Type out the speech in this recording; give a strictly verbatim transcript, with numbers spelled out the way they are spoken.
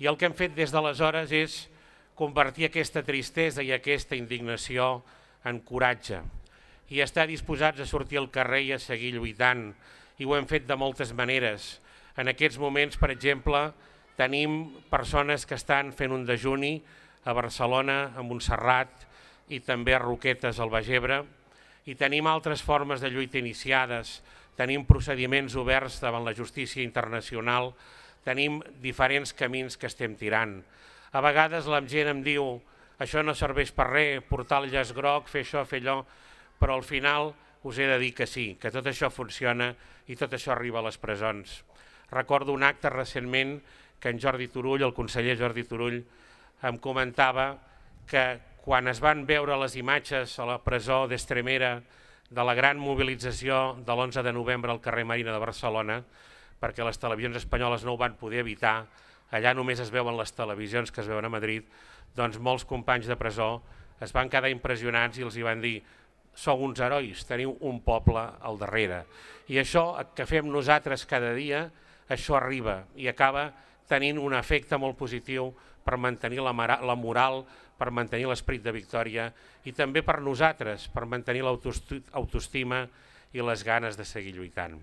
I el que hem fet des d'aleshores és convertir aquesta tristesa i aquesta indignació en coratge i estar disposats a sortir al carrer i a seguir lluitant. I ho hem fet de moltes maneres. En aquests moments, per exemple, tenim persones que estan fent un dejuni a Barcelona, a Montserrat i també a Roquetes, al Baix Ebre, i tenim altres formes de lluita iniciades, tenim procediments oberts davant la justícia internacional, tenim diferents camins que estem tirant. A vegades la gent em diu això no serveix per res, portar el llaç groc, fer això, fer allò, però al final us he de dir que sí, que tot això funciona i tot això arriba a les presons. Recordo un acte recentment que en Jordi Turull, el conseller Jordi Turull, em comentava que quan es van veure les imatges a la presó d'Estremera de la gran mobilització de l'onze de novembre al carrer Marina de Barcelona, perquè les televisions espanyoles no ho van poder evitar, allà només es veuen les televisions que es veuen a Madrid, doncs molts companys de presó es van quedar impressionats i els hi van dir sou uns herois, teniu un poble al darrere. I això que fem nosaltres cada dia, això arriba i acaba tenint un efecte molt positiu per mantenir la moral, per mantenir l'esperit de victòria i també per nosaltres, per mantenir l'autoestima i les ganes de seguir lluitant.